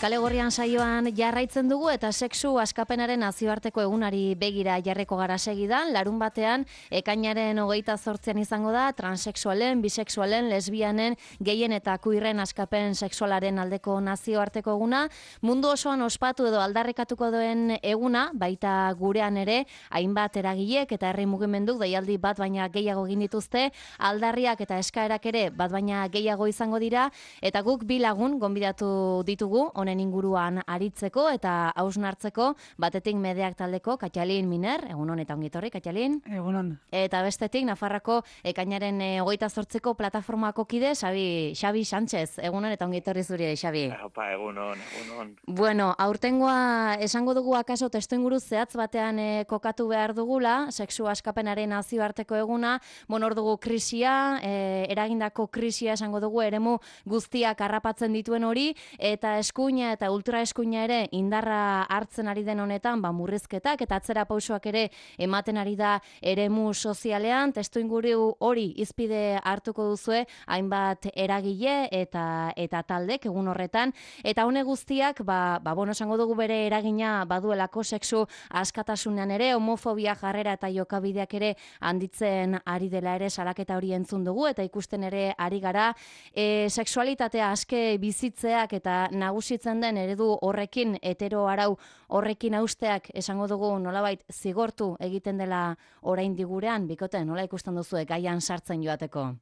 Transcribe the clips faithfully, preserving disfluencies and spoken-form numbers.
Kale Gorrian saioan jarraitzen dugu eta sexu askapenaren nazioarteko egunari begira jarreko gara segidan. Larun batean, ekainaren hogeita zortzian izango da, transexualen, bisexualen, lesbianen, gehien eta kuirren askapen sexualaren aldeko nazioarteko eguna. Mundu osoan ospatu edo aldarrikatuko duen eguna, baita gurean ere, hainbat eragilek eta herri mugimenduk deialdi bat baina gehiago egin dituzte, aldarriak eta eskaerak ere bat baina gehiago izango dira, eta guk bi lagun gonbidatu ditugu, honen inguruan aritzeko eta hausnartzeko, batetik Medeak taldeko Katxalin Miner, egunon eta ongitorri, Katxalin. Egunon. Eta bestetik Nafarrako ekainaren hogeita zortziko plataformako kide, Xabi, Xabi Sánchez, egunon eta ongitorri zuri, Xabi. Opa, egunon, egunon. Bueno, aurtengoa esango dugu akaso testu inguru zehatz batean e, kokatu behar dugula, sexu askapenaren nazioarteko eguna, bueno, hor dugu krisia, e, eragindako krisia esango dugu, eremu guztiak harrapatzen dituen hori, eta eskuina eta ultraeskuina ere indarra hartzen ari den honetan, ba, murrizketak eta atzera pausoak ere ematen ari da eremu sozialean, testu inguru hori izpide hartuko duzue, hainbat eragile eta eta taldek egun horretan, eta hone guztiak, ba, ba bueno, esango dugu bere eragina baduelako sexu askatasunean ere, homofobia jarrera eta jokabideak ere handitzen ari dela ere salaketa hori entzun dugu, eta ikusten ere ari gara, e, sexualitatea aske bizitzeak eta nagusitzen den eredu horrekin, hetero arau horrekin hausteak esango dugu nolabait zigortu egiten dela oraindik gurean, bikote, nola ikusten duzu gaian sartzen joateko?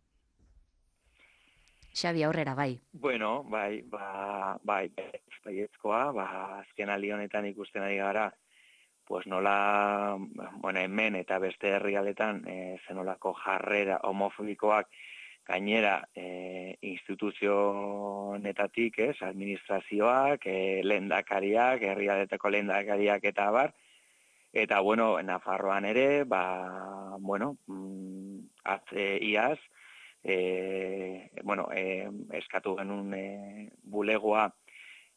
Xabi, aurrera, bai. Bueno, bai, ba, bai, baiezkoa, ba, azken aldi honetan ikusten ari gara, pues nola, bueno, hemen eta beste herrialdetan, e, zenolako jarrera homofobikoak gainera e, instituzionetatik, ez, administrazioak, e, lehendakariak, herrialdetako lehendakariak eta abar, eta, bueno, Nafarroan ere, ba, bueno, atze iaz, e, bueno, e, eskatu genuen e, bulegoa,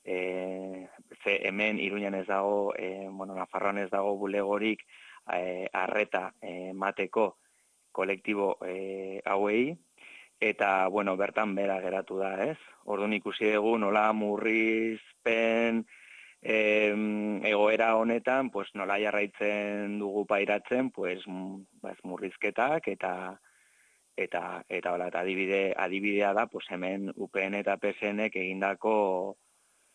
e, ze hemen Iruñan ez dago, e, bueno, Nafarroan ez dago bulegorik e, arreta e, mateko kolektibo e, hauei, eta, bueno, bertan bera geratu da, ez? Orduan ikusi dugu nola murrizpen eh, egoera honetan, pues nola jarraitzen dugu pairatzen, pues murrizketak eta eta eta hola, eta adibide adibidea da, pues hemen U P N eta P SNek egindako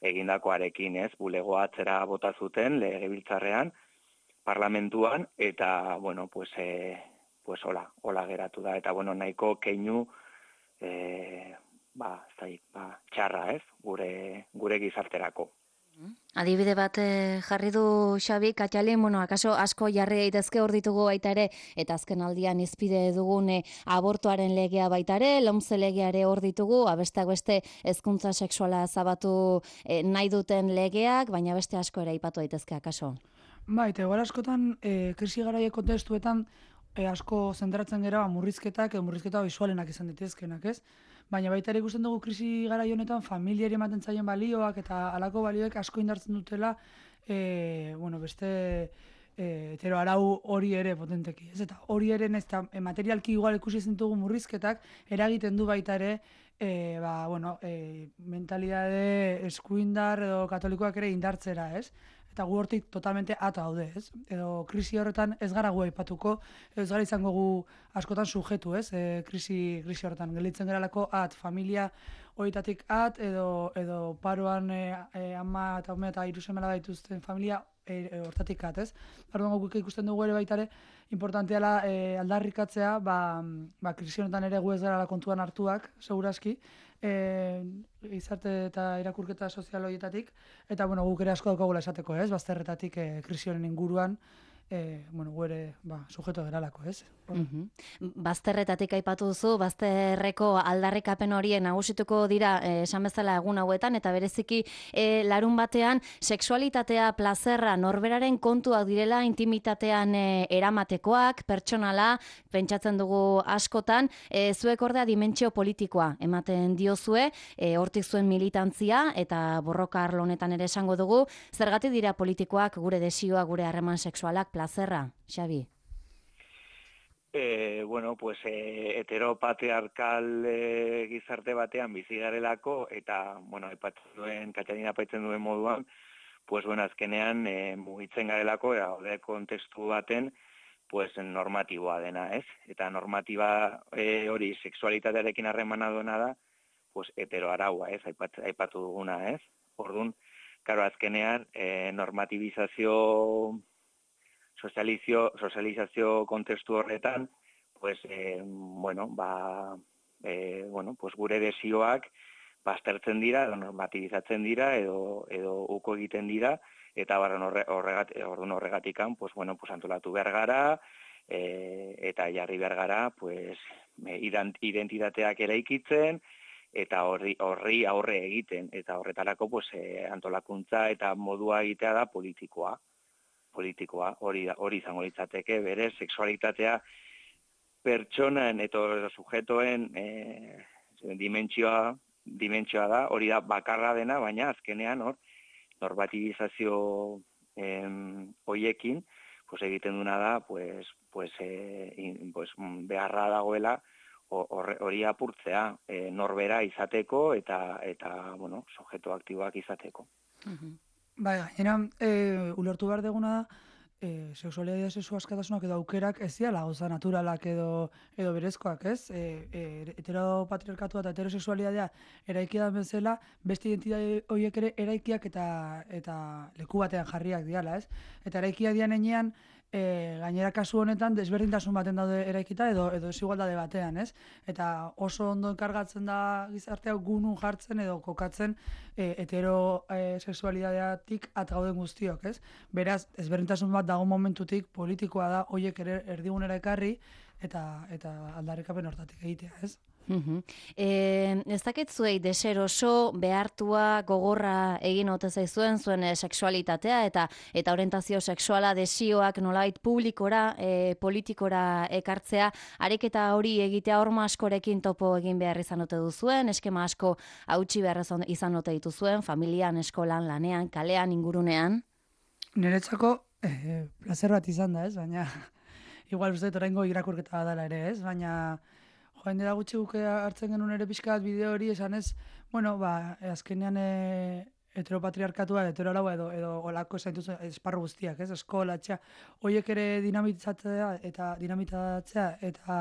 egindakoarekin, ez? Bulegoa atzera bota zuten legebiltzarrean, parlamentuan, eta, bueno, pues eh, pues hola, hola geratu da, eta, bueno, nahiko keinu E, ba, zai, ba, txarra, ez, gure, gure gizarterako. Adibide bat eh, jarri du Xabi, Katxalin, bueno, akaso asko jarri daitezke hor ditugu baita ere, eta azken aldian izpide dugun eh, abortuaren legea baita ere, lomze legea ere hor ditugu, abesteak beste hezkuntza sexuala zabatu eh, nahi duten legeak, baina beste asko ere aipatu daitezke akaso. Ba, eta egoera askotan, e, krisi garaie kontestuetan, E, asko zentratzen gera murrizketak edo murrizketa bisualenak izan ditezkenak, ez? Baina baita ere ikusten dugu krisi garai honetan familiari ematen zaien balioak eta halako balioek asko indartzen dutela, e, bueno, beste e, hetero arau hori ere potenteki, ez? Eta hori ere ez da e, materialki igual ikusi ezin dugu murrizketak eragiten du baita ere e, ba, bueno, e, mentalidade eskuindar edo katolikoak ere indartzera, ez? Eta gu hortik totalmente ata gaude, ez? Edo krisi horretan ez gara gu aipatuko, ez gara izango gu askotan sujetu, ez? E, krisi, krisi horretan, gelditzen geralako at, familia horietatik at, edo, edo paroan e, e, ama eta ume eta hiru semela dituzten familia e, e, hortatik at, ez? Orduan guk ikusten dugu ere baita ere, importanteala e, aldarrikatzea, ba, ba, krisi honetan ere gu ez gara kontuan hartuak, seguraski, E, izarte eta irakurketa sozial horietatik, eta bueno, guk ere asko daukagula esateko, ez? Bazterretatik e, krisi honen inguruan, e, bueno, gu ere ba, sujeto geralako, ez? Uh-huh. Bazterretatik aipatu duzu, bazterreko aldarrikapen horien nagusituko dira eh, esan bezala egun hauetan, eta bereziki eh, larun batean sexualitatea, plazerra, norberaren kontuak direla, intimitatean eh, eramatekoak, pertsonala, pentsatzen dugu askotan, eh, zuek ordea dimentsio politikoa ematen diozue, eh, hortik zuen militantzia, eta borroka arlo honetan ere esango dugu, zergatik dira politikoak gure desioa, gure harreman sexualak, plazerra, Xabi? E, bueno, pues, e, heteropatriarkal e, gizarte batean bizi garelako, eta, bueno, aipatzen duen, Katalina aipatzen duen moduan, pues, bueno, azkenean e, mugitzen garelako, eta hori kontestu baten, pues, normatiboa dena, ez? Eta normatiba e, hori sexualitatearekin harremana duena da, pues, heteroaraua, ez? Aipat, aipatu duguna, ez? Orduan, karo, azkenean, e, normatibizazio sozializio, sozializazio kontestu horretan, pues, eh, bueno, ba, eh, bueno, pues gure desioak baztertzen dira, edo normatibizatzen dira, edo, edo uko egiten dira, eta barren horre, horregat, orduan horregatikan, pues, bueno, pues antolatu behar gara, eh, eta jarri behar gara, pues, identitateak eraikitzen, eta horri, horri aurre egiten, eta horretarako, pues, eh, antolakuntza eta modua egitea da politikoa. politikoa, hori hori izango litzateke, bere sexualitatea pertsonan eta sujetoen e, dimentsioa, dimentsioa da, hori da bakarra dena, baina azkenean hor normatibizazio em, hoiekin, pues egiten duna da, pues, pues, e, in, pues beharra dagoela hori apurtzea, e, norbera izateko eta eta bueno, sujeto aktiboak izateko. Uh-huh. Bai, gainera, e, ulertu behar deguna da, e, sexualidadea sexu askatasunak edo aukerak ez diala gauza naturalak edo edo berezkoak, ez? E, e, heteropatriarkatua eta heterosexualidadea eraikia da bezala, beste identitate horiek ere eraikiak eta eta leku batean jarriak diala, ez? Eta eraikia dian enean, E, gainera kasu honetan desberdintasun baten daude eraikita edo edo desigualdade batean, ez? Eta oso ondo enkargatzen da gizartea gunun jartzen edo kokatzen e, hetero e, sexualidadeatik at gauden guztiok, ez? Beraz, desberdintasun bat dago momentutik politikoa da hoiek ere erdigunera ekarri eta eta aldarrikapen hortatik egitea, ez? Uh-huh. E, ez dakit zuei deseroso, behartua, gogorra egin ote zaizuen zuen e, sexualitatea eta eta orientazio sexuala desioak nolabait publikora, e, politikora ekartzea, ariketa hori egitea horma askorekin topo egin behar izan ote duzuen, eskema asko hautsi behar izan ote dituzuen, familian, eskolan, lanean, kalean, ingurunean? Niretzako eh, placer bat izan da, ez? Baina igual uste oraingo irakurketa badala ere, ez? Baina joan dira gutxi guke hartzen genuen ere pixkat bideo hori esan ez, bueno, ba, azkenean e, heteropatriarkatua, heteroaraua edo, edo olako zaintuz esparru guztiak, ez? Eskola, etxea, horiek ere dinamitatzea eta dinamitatzea eta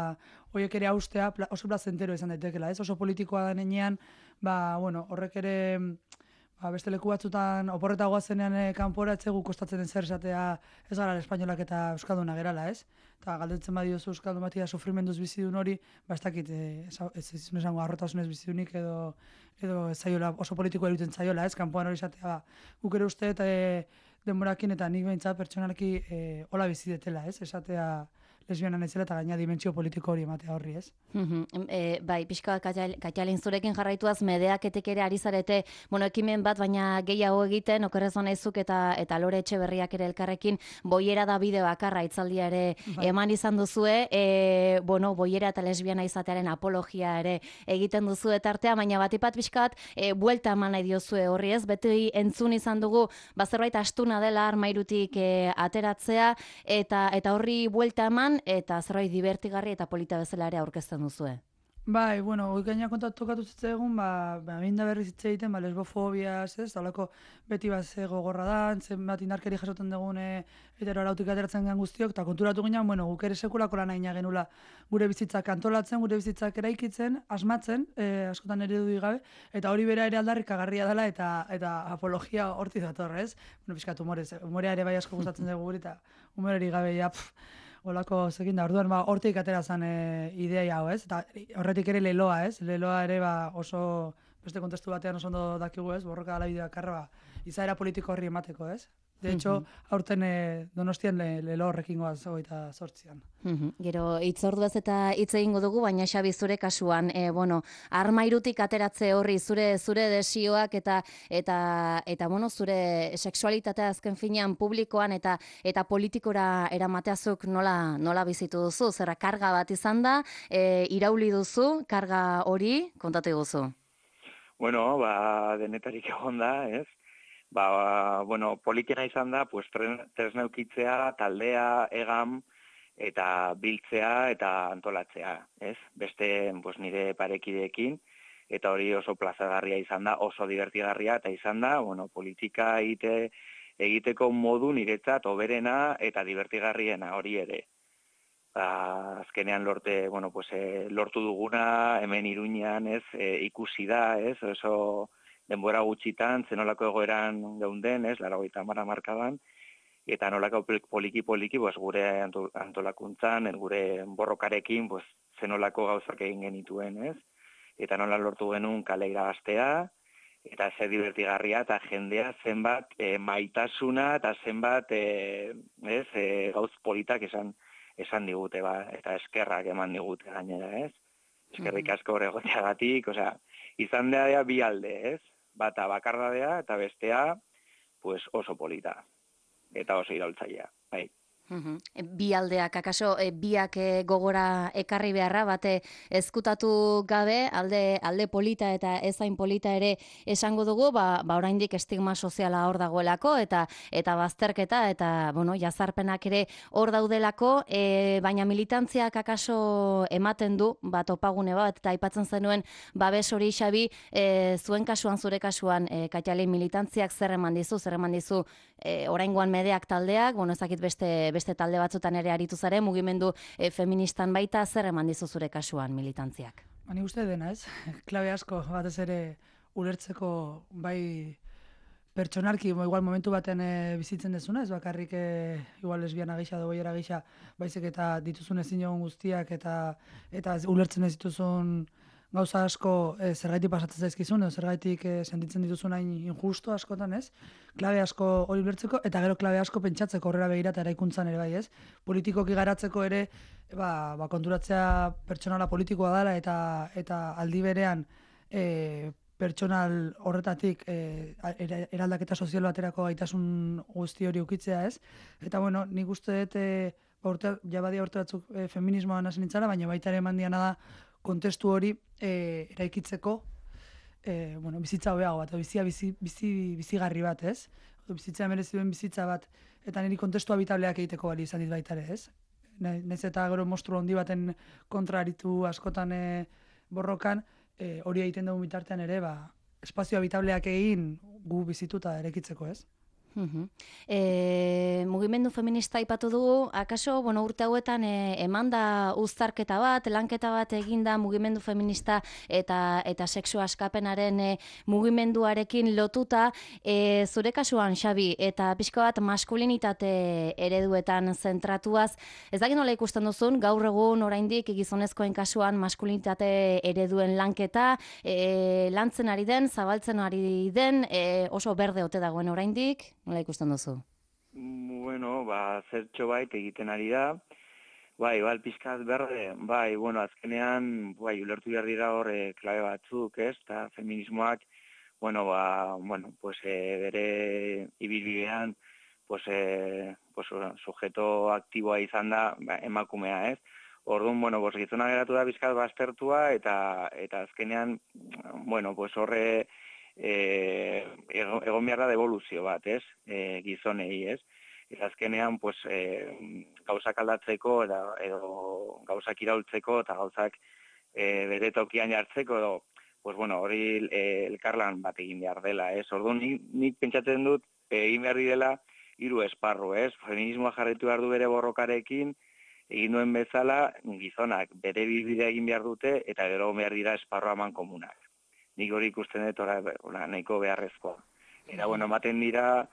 horiek ere haustea oso plazentero izan daitekela, ez? Oso politikoa da nenean, ba, bueno, horrek ere ba, beste leku batzutan oporreta goazenean e, kanpora etzegu kostatzen den zer esatea ez gara espainolak eta euskalduna gerala, ez? Eta galdetzen badiozu euskaldun batia sufrimenduz bizidun hori, ba ez dakit, e, ez izun esango arrotasunez bizidunik edo edo zaiola, oso politikoa eruten zaiola, ez? Kanpoan hori esatea, ba, guk ere uste eta e, denborakin eta nik behintzat pertsonalki e, hola bizidetela, ez? Esatea lesbiana naizela eta gaina dimentsio politiko hori ematea horri, ez? Mm-hmm. E, bai, pixka Katalin zurekin jarraituaz medeaketek ere ari zarete, bueno, ekimen bat, baina gehiago egiten, okerrezon naizuk eta eta Lore Etxeberriak ere elkarrekin boiera da bideo bakarra itzaldia ere bai. Eman izan duzue, e, bueno, boiera eta lesbiana izatearen apologia ere egiten duzu etartea, baina batipat pixkat e, buelta eman nahi diozue horri, ez? Beti entzun izan dugu, bazerbait astuna dela armairutik e, ateratzea, eta eta horri buelta eman, eta zerbait divertigarri eta polita bezala ere aurkezten duzue. Bai, bueno, hoi gaina kontatu tokatu zitzaigun, ba, ba minda berriz hitz egiten, ba, lesbofobiaz, ez, talako beti bat ze gogorra da, zenbat indarkeri jasoten dugun heteroarautik ateratzen gen guztiok, eta konturatu ginen, bueno, guk ere sekulako lan aina genula gure bizitzak antolatzen, gure bizitzak eraikitzen, asmatzen, eh, askotan eredu gabe, eta hori bera ere aldarrikagarria dela, eta eta apologia horti dator, ez? Bueno, pixkat humorez, humorea ere bai asko gustatzen dugu guri, eta humoreri gabe, ja, pff, olako zekin da, orduan, ba, hortik atera zen e, ideia hau, ez? Eta horretik ere leloa, ez? Leloa ere, ba, oso, beste kontestu batean oso ondo dakigu, ez? Borroka gala bideo bakarra, ba, izaera politiko horri emateko, ez? De hecho, aurten e, Donostian le, lelo horrekin goaz hogeita zortzian. Gero, itzorduaz eta hitz egingo dugu, baina Xabi zure kasuan, e, bueno, armairutik ateratze horri zure zure desioak eta eta eta bueno, zure sexualitatea azken finean publikoan eta eta politikora eramateazuk nola nola bizitu duzu? Zerra karga bat izan da, e, irauli duzu, karga hori kontatu guzu. Bueno, ba, denetarik egon da, ez? Ba, bueno, politena izan da, pues, tresna eukitzea, taldea, egam, eta biltzea eta antolatzea, ez? Beste pues, nire parekideekin, eta hori oso plazagarria izan da, oso divertigarria, eta izan da, bueno, politika egite, egiteko modu niretzat oberena eta divertigarriena hori ere. Ba, azkenean lorte, bueno, pues, e, lortu duguna, hemen Iruñean, ez, e, ikusi da, ez, oso denbora gutxitan, zenolako egoeran geunden, ez, laurogeita hamar hamarkadan, eta nolako poliki-poliki, pues, gure antolakuntzan, gure borrokarekin, pues, zenolako gauzak egin genituen, ez, eta nola lortu genuen kale irabaztea, eta zer divertigarria, eta jendea zenbat e, maitasuna, eta zenbat, e, ez, e, gauz politak esan, esan digute, ba, eta eskerrak eman digute gainera, ez? Eskerrik asko hor egoteagatik, osea, izan da bi alde, ez? Bata bakardadea eta bestea, pues oso polita, eta oso iraultzailea, bai. Uhum. Bi aldeak, akaso, e, biak e, gogora ekarri beharra, bate ezkutatu gabe, alde, alde polita eta ezain polita ere esango dugu, ba, ba oraindik estigma soziala hor dagoelako, eta eta bazterketa, eta, bueno, jazarpenak ere hor daudelako, e, baina militantziak akaso ematen du, ba, topagune bat, eta aipatzen zenuen, babes hori Xabi, e, zuen kasuan, zure kasuan, e, Katialin militantziak zer eman dizu, zer eman dizu, e, oraingoan medeak taldeak, bueno, ezakit beste beste talde batzutan ere aritu zare, mugimendu e, feministan baita, zer eman dizu zure kasuan militantziak? Bani uste dena, ez? Klabe asko, batez ere ulertzeko bai pertsonarki, igual momentu baten e, bizitzen dezuna, ez bakarrik e, igual lesbiana gisa, dogoiera gisa, baizik eta dituzun ezin jogun guztiak, eta eta ulertzen ez dituzun gauza asko e, zergaitik pasatzen zaizkizun, edo zergaitik e, sentitzen dituzun hain injusto askotan, ez? Klabe asko hori ulertzeko, eta gero klabe asko pentsatzeko horrela begira eta eraikuntzan ere bai, ez? Politikoki garatzeko ere, ba, ba konturatzea pertsonala politikoa dela, eta eta aldi berean e, pertsonal horretatik e, eraldaketa sozial baterako gaitasun guzti hori ukitzea, ez? Eta bueno, nik uste dut, e, ba, urte, jabadia urte batzuk e, feminismoan hasi nintzara, baina baita ere eman diana da kontestu hori e, eraikitzeko e, bueno, bizitza hobeago bat, bizia bizi, bizi, bizigarri bat, ez? Bizitza merezi duen bizitza bat, eta niri kontestu habitableak egiteko bali izan dit baita ere, ez? Naiz eta gero monstru handi baten kontra aritu askotan e, borrokan, e, hori egiten dugu bitartean ere, ba, espazio habitableak egin gu bizituta eraikitzeko, ez? Uhum. E, mugimendu feminista aipatu dugu, akaso, bueno, urte hauetan e, emanda uztarketa bat, lanketa bat eginda mugimendu feminista eta eta sexu askapenaren e, mugimenduarekin lotuta, e, zure kasuan, Xabi, eta pixka bat maskulinitate ereduetan zentratuaz, ez dakit nola ikusten duzun, gaur egun oraindik gizonezkoen kasuan maskulinitate ereduen lanketa, e, lantzen ari den, zabaltzen ari den, e, oso berde ote dagoen oraindik, nola ikusten duzu? Bueno, ba, zertxo bait egiten ari da. Bai, bal, pizkat berde, bai, bueno, azkenean, bai, ulertu behar dira hor e, klabe batzuk, ez, eta feminismoak, bueno, ba, bueno, pues, e, bere ibilbidean, pues, e, pues, sujeto aktiboa izan da, ba, emakumea, ez. Orduan, bueno, pues, gizona geratu da pizkat baztertua, eta, eta azkenean, bueno, pues, horre, E, egon behar da devoluzio bat, ez, e, gizonei, ez, eta azkenean, pues, e, gauzak aldatzeko, edo, edo gauzak iraultzeko, eta gauzak e, bere tokian jartzeko, edo, pues, bueno, hori e, elkarlan bat egin behar dela, ez, orduan, nik, nik pentsatzen dut, egin behar direla, hiru esparru, ez, feminismoa jarretu behar du bere borrokarekin, egin duen bezala, gizonak bere bilbidea egin behar dute, eta gero behar dira esparru aman komunak. Nik hori ikusten dut ora nahiko beharrezkoa. Eta, bueno, ematen dira,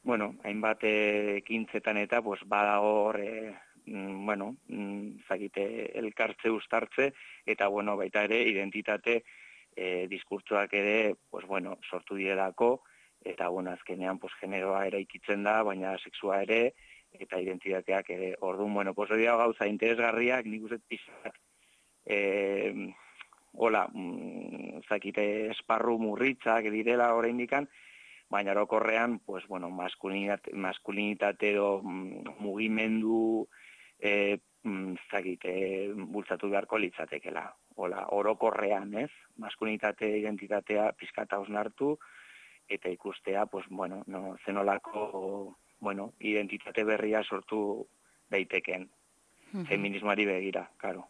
bueno, hainbat ekintzetan eta, pues, badago hor, e, bueno, zakite, elkartze uztartze, eta, bueno, baita ere, identitate e, diskurtsoak ere, pues, bueno, sortu direlako, eta, bueno, azkenean, pues, generoa eraikitzen da, baina sexua ere, eta identitateak ere. Orduan, bueno, pues, hori gauza interesgarriak, nik uste pizat, e, hola, mm, zakite esparru murritzak direla oraindikan, baina orokorrean, pues, bueno, maskulinitate, maskulinitate edo mm, mugimendu e, mm, zakite bultzatu beharko litzatekela. Hola, orokorrean, ez? Maskulinitate identitatea pizkata hausnartu eta ikustea, pues, bueno, no, zenolako, bueno, identitate berria sortu daiteken. feminismoari begira, karo.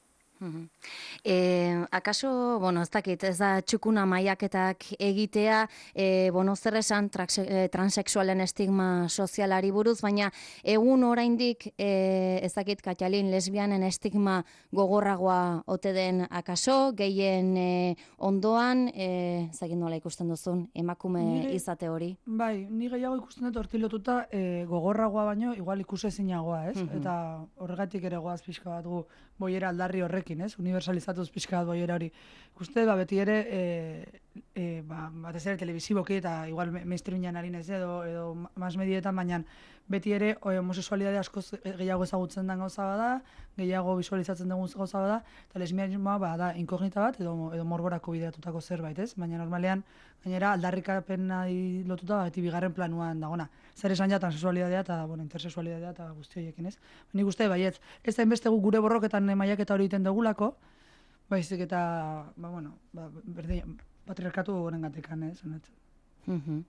E, akaso, bueno, ez dakit, ez da txukuna maiaketak egitea, e, bueno, zer esan transexualen estigma sozialari buruz, baina egun oraindik, e, ez dakit, Katjalin, lesbianen estigma gogorragoa ote den akaso, gehien e, ondoan, e, ez dakit nola ikusten duzun, emakume Nire, izate hori? Bai, ni gehiago ikusten dut horti lotuta e, gogorragoa baino, igual ikusezinagoa, ez? Mhm. Eta horregatik ere goaz pixka bat gu boiera aldarri horrekin, ez? Universalizatuz pixka bat boiera hori. Ikuste, ba, beti ere, e, e, ba, batez ere telebiziboki eta igual mainstreamian harin ez edo, edo mas medietan, baina beti ere o, homosexualidade askoz gehiago ezagutzen den gauza bada, gehiago visualizatzen dugun gauza bada, eta lesbianismoa ba, da inkognita bat edo, edo morborako bideratutako zerbait, ez? Baina normalean, gainera, aldarrikapena lotuta ba, beti bigarren planuan dagona. Zer esan ja transexualidadea eta bueno, intersexualidadea eta guzti horiekin, ez? Nik uste, baietz, ez da inbeste gure borroketan maiaketa hori egiten dugulako, baizik eta, ba, bueno, ba, berdin, patriarkatu goren gatekan, ez? Mhm.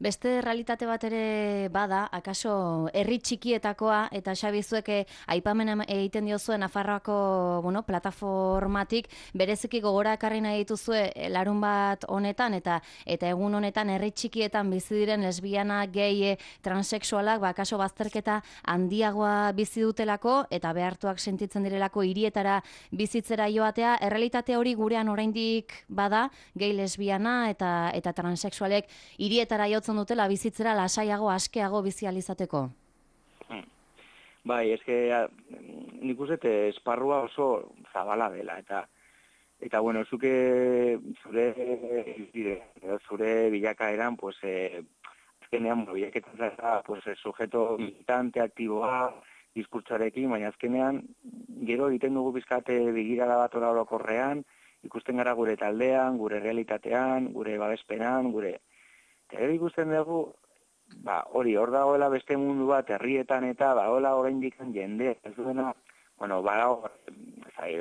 Beste realitate bat ere bada, akaso herri txikietakoa, eta Xabi zuek aipamen egiten diozuen Nafarroako bueno, plataformatik, bereziki gogora ekarri nahi dituzue larun bat honetan, eta eta egun honetan herri txikietan bizi diren lesbiana, gay, transexualak, ba, akaso bazterketa handiagoa bizi dutelako, eta behartuak sentitzen direlako hirietara bizitzera joatea, errealitate hori gurean oraindik bada, gay, lesbiana eta, eta transexualek hirietara jotzen dutela bizitzera lasaiago, askeago bizializateko? Hmm. Bai, eske nik uste esparrua oso zabala dela, eta eta bueno, zuke zure zure bilakaeran, pues, eh, azkenean, bilakaetan zara, pues, sujeto militante, aktiboa, diskurtsarekin, baina azkenean, gero egiten dugu bizkate begirada bat orokorrean, ikusten gara gure taldean, gure realitatean, gure babespenan, gure Eta ikusten dugu, ba, hori, hor dagoela beste mundu bat, herrietan eta, ba, hola oraindik jende, ez duena, bueno, ba,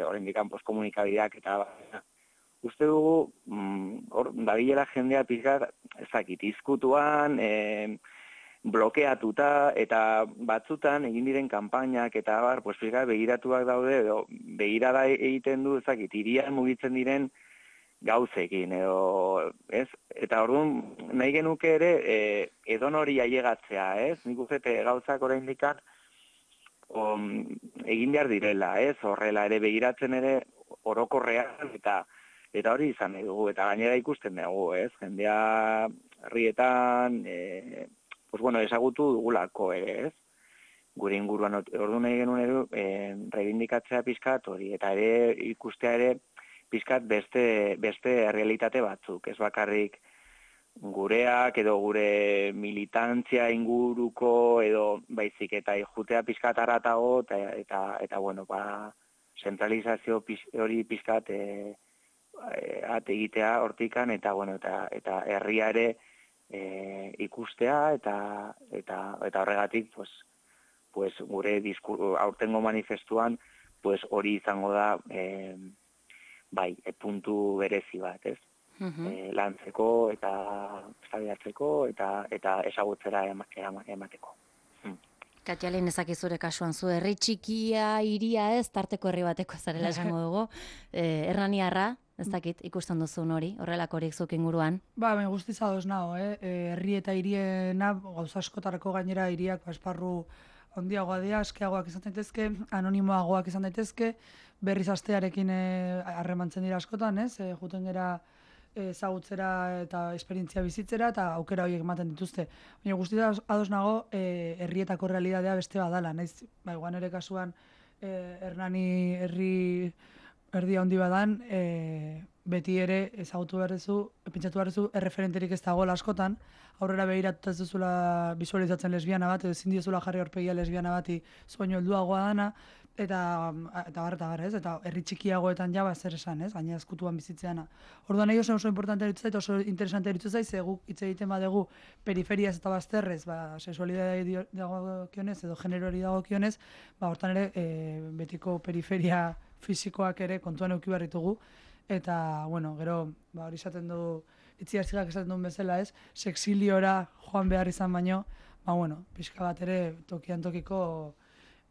oraindik postkomunikabideak eta, ba, uste dugu, hor, mm, dabilela jendea pizkat, ezakit, izkutuan, e, blokeatuta, eta batzutan egin diren kanpainak eta, bar, pues, pizkat, begiratuak daude, edo, begirada egiten du, ezakit, hirian mugitzen diren, gauzekin, edo, ez? Eta orduan, nahi genuke ere, e, edon hori ailegatzea, ez? Nik uste gauzak oraindikan egin behar direla, ez? Horrela ere begiratzen ere orokorrean, eta eta hori izan nahi dugu, eta gainera ikusten dugu, ez? Jendea herrietan, e, pues bueno, ezagutu dugulako ere, ez? Gure inguruan, orduan nahi genuen ere, e, reivindikatzea pizkat hori, eta ere ikustea ere, pizkat beste, beste realitate batzuk, ez bakarrik gureak edo gure militantzia inguruko edo baizik eta ijutea pizkat aratago eta, eta, eta bueno, ba, zentralizazio hori pizkat e, e, ate egitea hortikan eta, bueno, eta, eta herria ere e, ikustea eta, eta, eta horregatik pues, pues, gure diskur, aurtengo manifestuan pues, hori izango da e, bai, e, puntu berezi bat, ez? Uh-huh. E, lantzeko eta zabiatzeko eta eta ezagutzera emateko. Hmm. Katjalin, ezakizure kasuan zu, herri txikia, hiria ez, tarteko herri bateko zarela esango dugu. E, Hernaniarra, ez dakit, ikusten duzun hori, horrelakorik zuk inguruan? Ba, ben guztiz adoz nago, eh? Herri eta hiriena, gauza askotarako gainera hiriak ba, esparru handiagoa dira, askeagoak izan daitezke, anonimoagoak izan daitezke, berriz astearekin harremantzen dira askotan, ez? E, juten gera ezagutzera eta esperientzia bizitzera eta aukera horiek ematen dituzte. Baina guztia ados nago e, herrietako realitatea beste badala, naiz, ba, iguan ere kasuan e, Hernani herri erdi handi badan, e, beti ere ezagutu behar duzu, pentsatu behar duzu, erreferenterik ez dagoela askotan, aurrera begiratuta ez duzula visualizatzen lesbiana bat, edo ezin diozula jarri aurpegia lesbiana bati soinu helduagoa dana, eta eta bar, eta bar, ez? Eta herri txikiagoetan ja, ba, zer esan, ez? Gaina ezkutuan bizitzeana. Orduan nahi oso oso importante eritzu zait, oso interesante eritzu zait, ze guk hitz egiten badegu periferiaz eta bazterrez, ba, sexualidade dagokionez edo generoari dagokionez, ba, hortan ere, e, betiko periferia fisikoak ere kontuan eduki behar ditugu, eta, bueno, gero, ba, hori esaten du, itziarzigak esaten duen bezala, ez? Sexiliora joan behar izan baino, ba, bueno, pixka bat ere tokian tokiko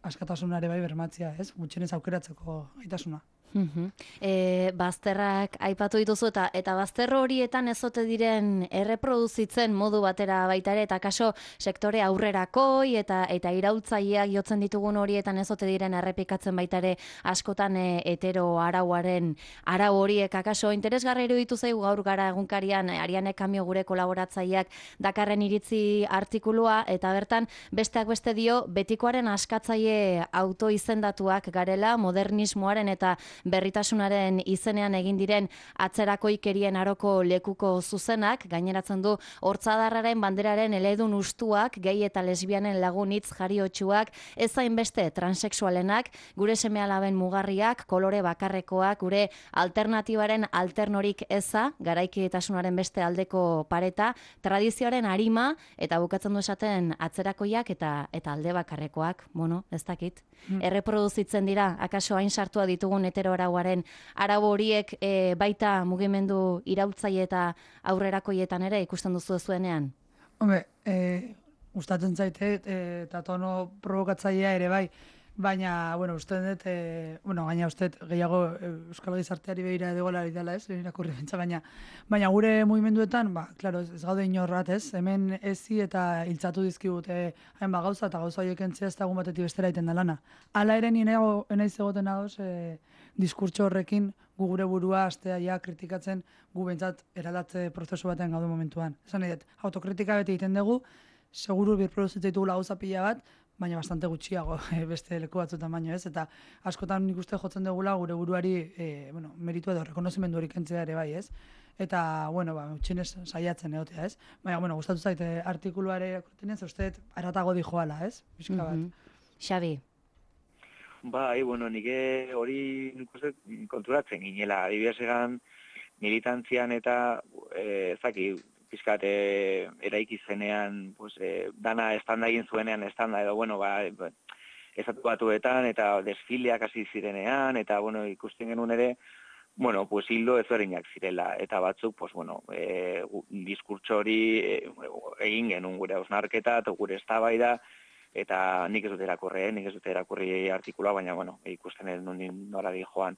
askatasunare bai bermatzea, ez? Gutxienez aukeratzeko gaitasuna. Mhm. E, bazterrak aipatu dituzu eta eta bazter horietan ezote diren erreproduzitzen modu batera baita ere eta kaso sektore aurrerakoi eta eta iraultzaileak jotzen ditugun horietan ezote diren errepikatzen baita ere askotan e, hetero arauaren arau horiek akaso interesgarri iruditu zaigu gaur gara egunkarian Ariane Kamio gure kolaboratzaileak dakarren iritzi artikulua eta bertan besteak beste dio betikoaren askatzaile autoizendatuak garela modernismoaren eta berritasunaren izenean egin diren atzerakoikerien aroko lekuko zuzenak, gaineratzen du hortzadarraren banderaren eledun ustuak, gay eta lesbianen lagunitz jariotsuak, ez hainbeste transexualenak, gure seme-alaben mugarriak, kolore bakarrekoak, gure alternatibaren alternorik eza, garaikidetasunaren beste aldeko pareta, tradizioaren arima, eta bukatzen du esaten atzerakoiak eta eta alde bakarrekoak, bueno, ez dakit. Mm. Erreproduzitzen dira, akaso hain sartua ditugun hetero arauaren arau horiek e, baita mugimendu iraultzaile eta aurrerakoietan ere ikusten duzu zuenean? Hombre, e, gustatzen zaite eta tono provokatzailea ere bai, baina, bueno, uste dut, e, bueno, gaina uste gehiago Euskal Gizarteari behira edogola dela, ez, irakurri bentsa, baina, baina gure mugimenduetan, ba, klaro, ez, ez gaude inorrat, ez, hemen ezi eta hiltzatu dizkigute hain ba gauza, eta gauza horiek entzia ez dagun batetik bestera iten da lana. Hala ere nire enaiz egoten adoz, e, diskurtso horrekin gu gure burua astea ja kritikatzen gu bentsat eraldatze prozesu batean gaude momentuan. Esan nahi dut, autokritika beti egiten dugu, seguru birproduzitzen ditugu gauza pila bat, baina bastante gutxiago beste leku batzuetan baino ez, eta askotan nik uste jotzen dugula gure buruari e, bueno, meritu edo rekonozimendu hori kentzea ere bai ez. Eta, bueno, ba, utxinez saiatzen egotea ez. Baina, bueno, gustatu zaite artikuluare irakurtzen ez, uste aratago dijoala ez, pixka bat. Mm-hmm. Xabi. Bai, bueno, nike hori nik uste konturatzen ginela. Adibidez egan militantzian eta e, zaki, pizkat e, eraiki zenean, pues, e, dana estanda egin zuenean, estanda edo, bueno, ba, estatu batuetan eta desfileak hasi zirenean, eta, bueno, ikusten genuen ere, bueno, pues hildo ezberdinak zirela, eta batzuk, pues, bueno, e, diskurtso hori e, egin genuen gure hausnarketa, eta gure eztabaida, eta nik ez dut erakurri, nik ez dut erakurri artikula, baina, bueno, ikusten ez nuen nora di joan.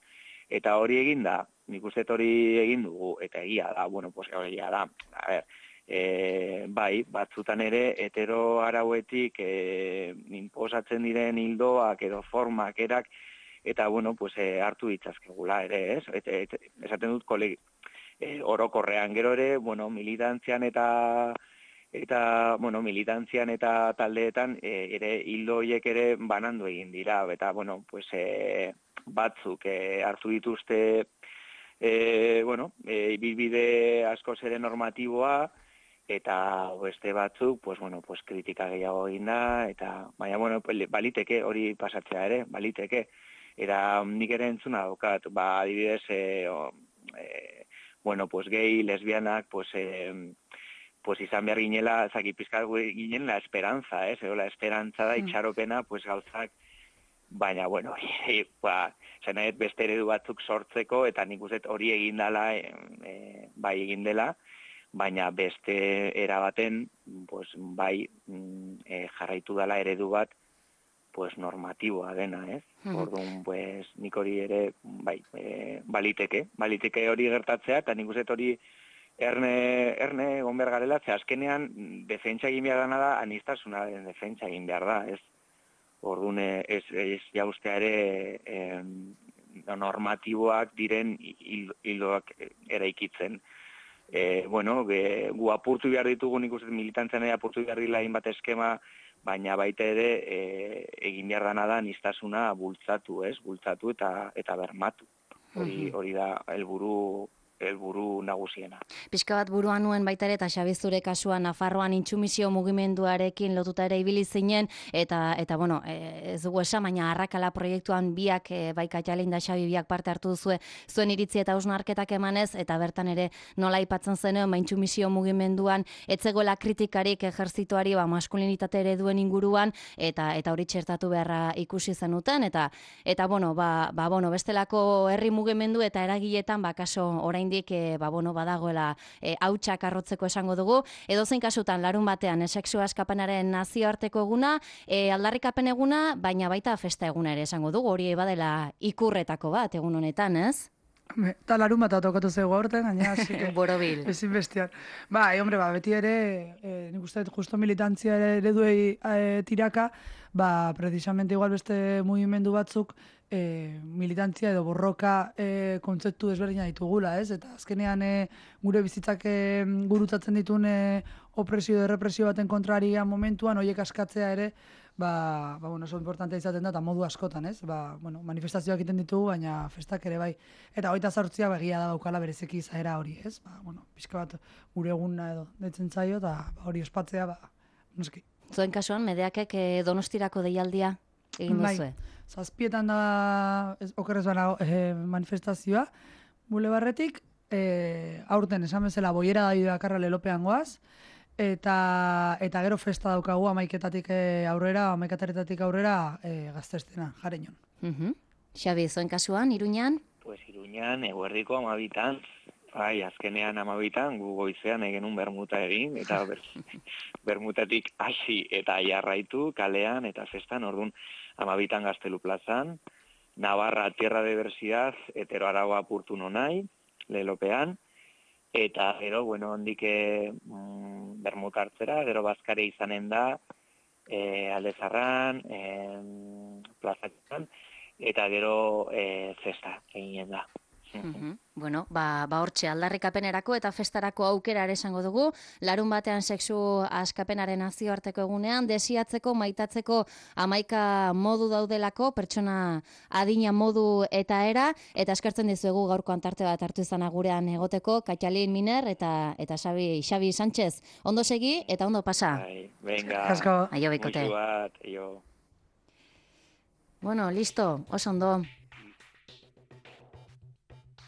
Eta hori egin da, nik uste hori egin dugu, eta egia da, bueno, pues egia da, a ber, e, bai, batzutan ere, hetero arauetik e, inposatzen diren hildoak edo formak erak, eta, bueno, pues e, hartu ditzazkegula ere, ez? Et, et, esaten dut kolegi, e, orokorrean gero ere, bueno, militantzian eta eta, bueno, militantzian eta taldeetan e, ere hildo horiek ere banandu egin dira, eta, bueno, pues e, batzuk e, hartu dituzte e, bueno, e, ibilbide askoz ere normatiboa, eta beste batzuk, pues, bueno, pues, kritika gehiago egin da, eta, baina, bueno, baliteke hori pasatzea ere, baliteke. Eta nik ere entzuna daukat, ba, adibidez, e, o, e, bueno, pues, gay, lesbianak, pues, e, pues izan behar ginela, zaki pizkat ginen la esperantza, ez, eh? La esperantza da itxaropena, pues gauzak, baina, bueno, e, ba, zenaet beste eredu batzuk sortzeko, eta nik uste hori egin dela, e, e, bai egin dela, baina beste erabaten, pues, bai e, jarraitu dela eredu bat, pues normatiboa dena, ez? Orduan, pues, nik hori ere, bai, e, baliteke, baliteke hori gertatzea, eta nik uste hori Erne, erne egon behar garela, ze azkenean defentsa egin behar dana da, anistasunaren defentsa egin behar da, ez? Orduan, ez, ez jaustea ere eh, normatiboak diren hildoak eraikitzen. E, bueno, ge, gu apurtu behar ditugu, nik uste militantzen ere apurtu behar dila bat eskema, baina baita ere e, egin behar dana da anistasuna bultzatu, ez? Bultzatu eta, eta bermatu. Hori, hori da helburu helburu nagusiena. Pixka bat buruan nuen baita ere, eta Xabi zure kasuan Nafarroan intsumisio mugimenduarekin lotuta ere ibili zinen, eta, eta bueno, ez dugu esan, baina arrakala proiektuan biak, e, bai Katjalin da Xabi biak parte hartu duzue, zuen iritzi eta hausnarketak emanez, eta bertan ere nola aipatzen zenuen, ba, intsumisio mugimenduan, etzegoela kritikarik ejertzituari, ba, maskulinitate ereduen inguruan, eta eta hori txertatu beharra ikusi zenuten, eta, eta bueno, ba, ba, bueno, bestelako herri mugimendu eta eragiletan, ba, kaso orain oraindik e, ba, bueno, badagoela e, hautsak arrotzeko esango dugu. Edozein kasutan larun batean e, sexu askapenaren nazioarteko eguna, e, aldarrikapen eguna, baina baita festa eguna ere esango dugu, hori badela ikurretako bat egun honetan, ez? Eta larun bat tokatu zego aurten, gaina, así que... Borobil. Ezin bestian. Ba, e, hombre, ba, beti ere, e, nik uste dut justo militantzia ere ereduei e, tiraka, ba, precisamente igual beste mugimendu batzuk, e, militantzia edo borroka e, kontzeptu desberdina ditugula, ez? Eta azkenean e, gure bizitzak e, gurutzatzen ditun e, opresio edo represio baten kontraria momentuan, horiek askatzea ere, ba, ba bueno, oso importantea izaten da, eta modu askotan, ez? Ba, bueno, manifestazioak egiten ditugu, baina festak ere bai. Eta hogeita zortzia begia da daukala berezeki izaera hori, ez? Ba, bueno, pixka bat gure eguna edo deitzen zaio, eta ba, hori ospatzea, ba, noski. Zuen kasuan, Medeakek e, Donostirako deialdia egin duzue? Bai, zazpietan da, ez, okerrez bana, e, manifestazioa, bulebarretik, e, aurten esan bezala boiera da bakarra lelopean goaz, eta eta gero festa daukagu amaiketatik aurrera, amaikataretatik aurrera e, gaztestena, Jareñon. Uh-huh. Xabi, zuen kasuan, Iruñan? Pues Iruñan, eguerdiko amabitan, bai, azkenean amabitan, gu goizean egenun bermuta egin, eta ber, bermutatik hasi eta jarraitu kalean eta festan, orduan amabitan Gaztelu plazan, Navarra Tierra de Diversidad, Etero Aragua apurtu nonai, lelopean, eta gero, bueno, hondik mm, bermuta hartzera, gero bazkare izanen da, e, Aldezarran, e, plazatzen, eta gero e, festa eginen da. Uh-huh. Bueno, ba, ba hortxe aldarrikapenerako eta festarako aukera ere esango dugu, larun batean sexu askapenaren nazioarteko egunean, desiatzeko, maitatzeko amaika modu daudelako, pertsona adina modu eta era, eta eskertzen dizuegu gaurko antarte bat hartu izan gurean egoteko, Katxalin Miner eta eta Xabi, Xabi Sánchez. Ondo segi eta ondo pasa. Bai, venga, aio bikote. Muixu bat, aio. Bueno, listo, oso ondo.